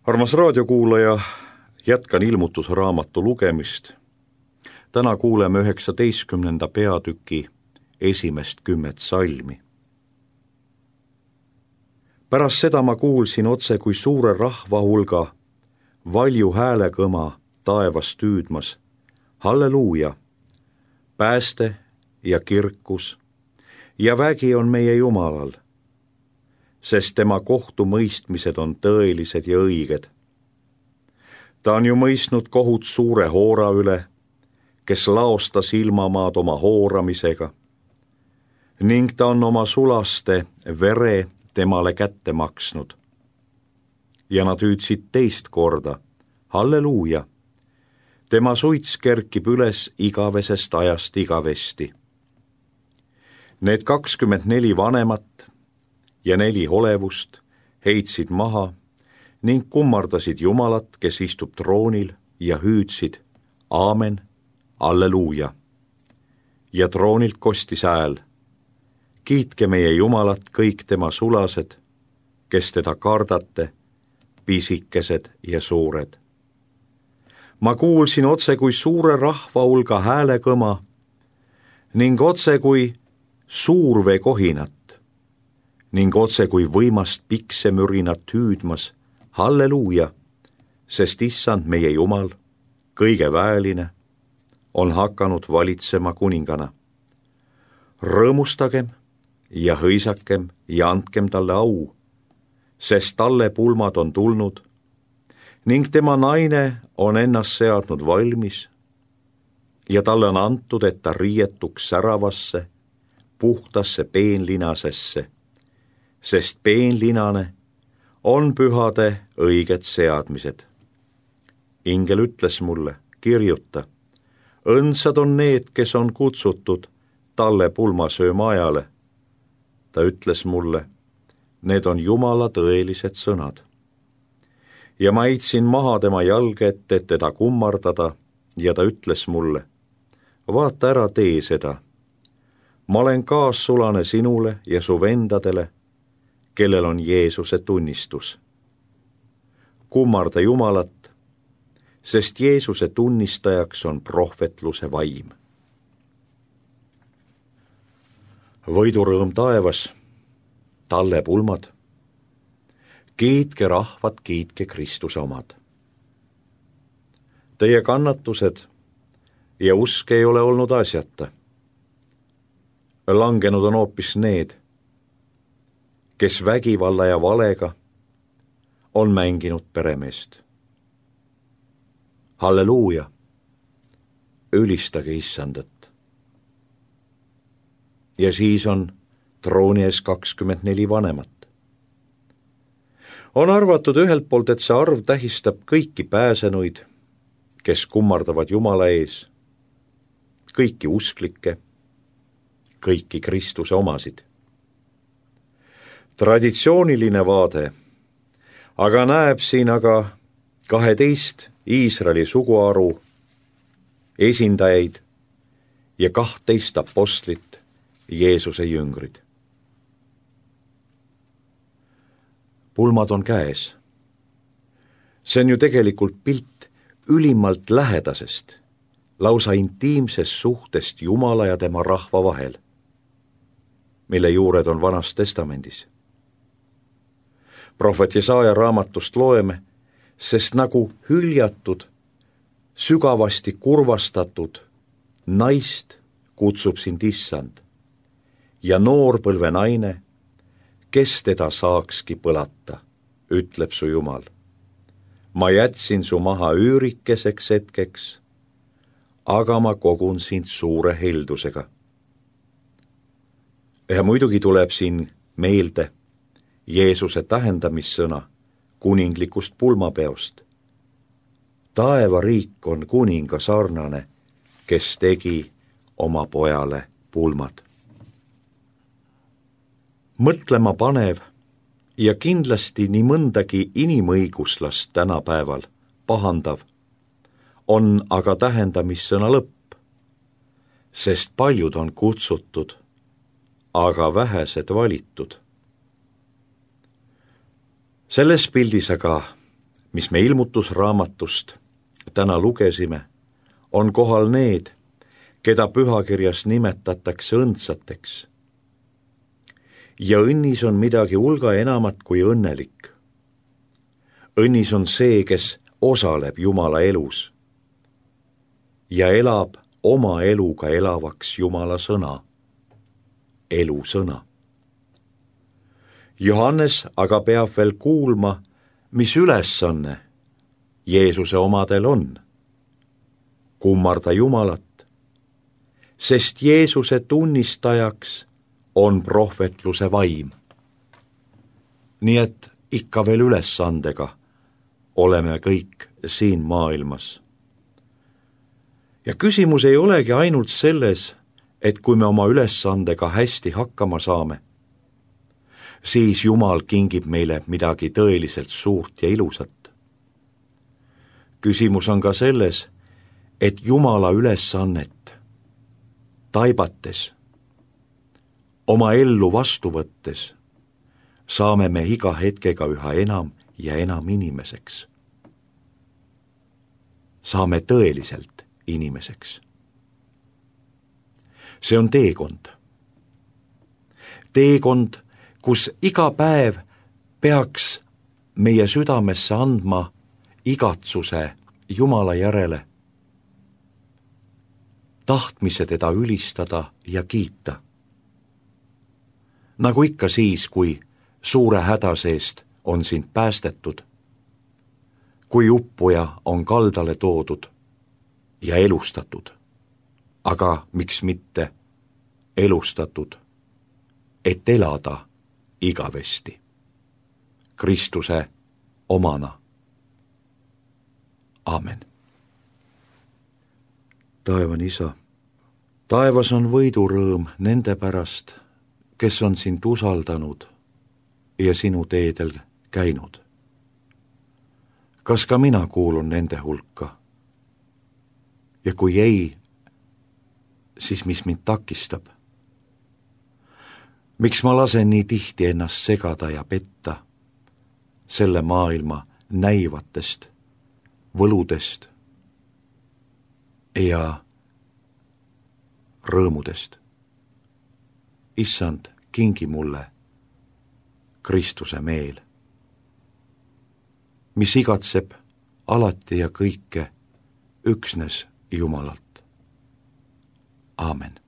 Armas raadiokuulaja, jätkan ilmutusraamatu lugemist. Täna kuuleme 19. peatüki esimest 10 salmi. Pärast seda ma kuulsin otse kui suure rahva hulga valju häälekõma taevast hüüdmas. Halleluuja! Pääste ja kirkus ja vägi on meie Jumalal, sest tema kohtumõistmised on tõelised ja õiged. Ta on ju mõistnud kohut suure hoora üle, kes laostas ilmamaad oma hooramisega, ning ta on oma sulaste vere temale kätte maksnud. Ja nad hüüdsid teist korda, halleluuja! Tema suits kerkib üles igavesest ajast igavesti. Need 24 vanemat ja 4 olevust heitsid maha ning kummardasid Jumalat, kes istub troonil, ja hüüdsid aamen, alleluuja. Ja troonilt kostis hääl, kiitke meie Jumalat kõik tema sulased, kes teda kardate, pisikesed ja suured. Ma kuulsin otse kui suure rahva hulga häälekõma ning otse kui suurvee kohinat ning otse kui võimast piksemürinat hüüdmas, halleluuja, sest issand meie Jumal, kõige väeline, on hakanud valitsema kuningana. Rõõmustagem ja hõisakem ja andkem talle au, sest talle pulmad on tulnud ning tema naine on ennast seadnud valmis ja talle on antud, et ta riietuks säravasse, puhtasse peenlinasesse, sest peenlinane on pühade õiged seadmised. Ingel ütles mulle, kirjuta, õndsad on need, kes on kutsutud talle pulmasööma ajale. Ta ütles mulle, need on Jumala tõelised sõnad. Ja ma heitsin maha tema jalge ette, et teda kummardada, ja ta ütles mulle, vaata ära tee seda. Ma olen kaassulane sinule ja su vendadele, kellel on Jeesuse tunnistus. Kummarda Jumalat, sest Jeesuse tunnistajaks on prohvetluse vaim. Võidurõõm taevas, talle pulmad. Kiitke rahvad, kiitke Kristuse omad. Teie kannatused ja usk ei ole olnud asjata. Langenud on hoopis need, kes vägivalla ja valega on mänginud peremeest. Halleluuja! Ülistage issandat. Ja siis on trooni ees 24 vanemat. On arvatud ühelt poolt, et see arv tähistab kõiki pääsenuid, kes kummardavad Jumala ees, kõiki usklikke, kõiki Kristuse omasid. Traditsiooniline vaade aga näeb siin 12 Iisraeli suguharu esindajaid ja 12 apostlit, Jeesuse jüngrid. Pulmad on käes. See on ju tegelikult pilt ülimalt lähedasest, lausa intiimsest suhtest Jumala ja tema rahva vahel, mille juured on Vanas Testamendis. Prohvet Jesaja raamatust loeme, sest nagu hüljatud, sügavasti kurvastatud naist kutsub sind issand ja noorpõlve naine, kes teda saakski põlata, ütleb su Jumal. Ma jätsin su maha üürikeseks hetkeks, aga ma kogun sind suure heldusega. Ja muidugi tuleb siin meelde Jeesuse tähendamissõna kuninglikust pulmapeost. Taevariik on kuninga sarnane, kes tegi oma pojale pulmad. Mõtlema panev ja kindlasti nii mõndagi inimõiguslast tänapäeval pahandav on aga tähendamissõna lõpp, sest paljud on kutsutud, aga vähesed valitud. Selles pildis aga mis me ilmutusraamatust täna lugesime, on kohal need, keda pühakirjas nimetatakse õndsateks. Ja õnnis on midagi hulga enamat kui õnnelik. Õnnis on see, kes osaleb Jumala elus ja elab oma eluga elavaks Jumala sõna, elusõna. Johannes aga peab veel kuulma, mis ülesanne Jeesuse omadel on. Kummarda Jumalat, sest Jeesuse tunnistajaks on prohvetluse vaim. Nii et ikka veel ülesandega oleme kõik siin maailmas. Ja küsimus ei olegi ainult selles, et kui me oma ülesandega hästi hakkama saame, siis Jumal kingib meile midagi tõeliselt suurt ja ilusat. Küsimus on ka selles, et Jumala ülesannet taibates, oma ellu vastu võttes, saame me iga hetkega üha enam ja enam inimeseks. Saame tõeliselt inimeseks. See on teekond. Teekond, kus iga päev peaks meie südamesse andma igatsuse Jumala järele, tahtmise teda ülistada ja kiita. Nagu ikka siis, kui suure häda seest on sind päästetud, kui uppuja on kaldale toodud ja elustatud, aga miks mitte elustatud, et elada igavesti Kristuse omana. Aamen. Taevan Isa, taevas on võidurõõm nende pärast, kes on sind usaldanud ja sinu teedel käinud. Kas ka mina kuulun nende hulka? Ja kui ei, siis mis mind takistab? Miks ma lasen nii tihti ennast segada ja petta selle maailma näivatest võludest ja rõõmudest? Issand, kingi mulle Kristuse meel, mis igatseb alati ja kõike üksnes Jumalalt. Aamen.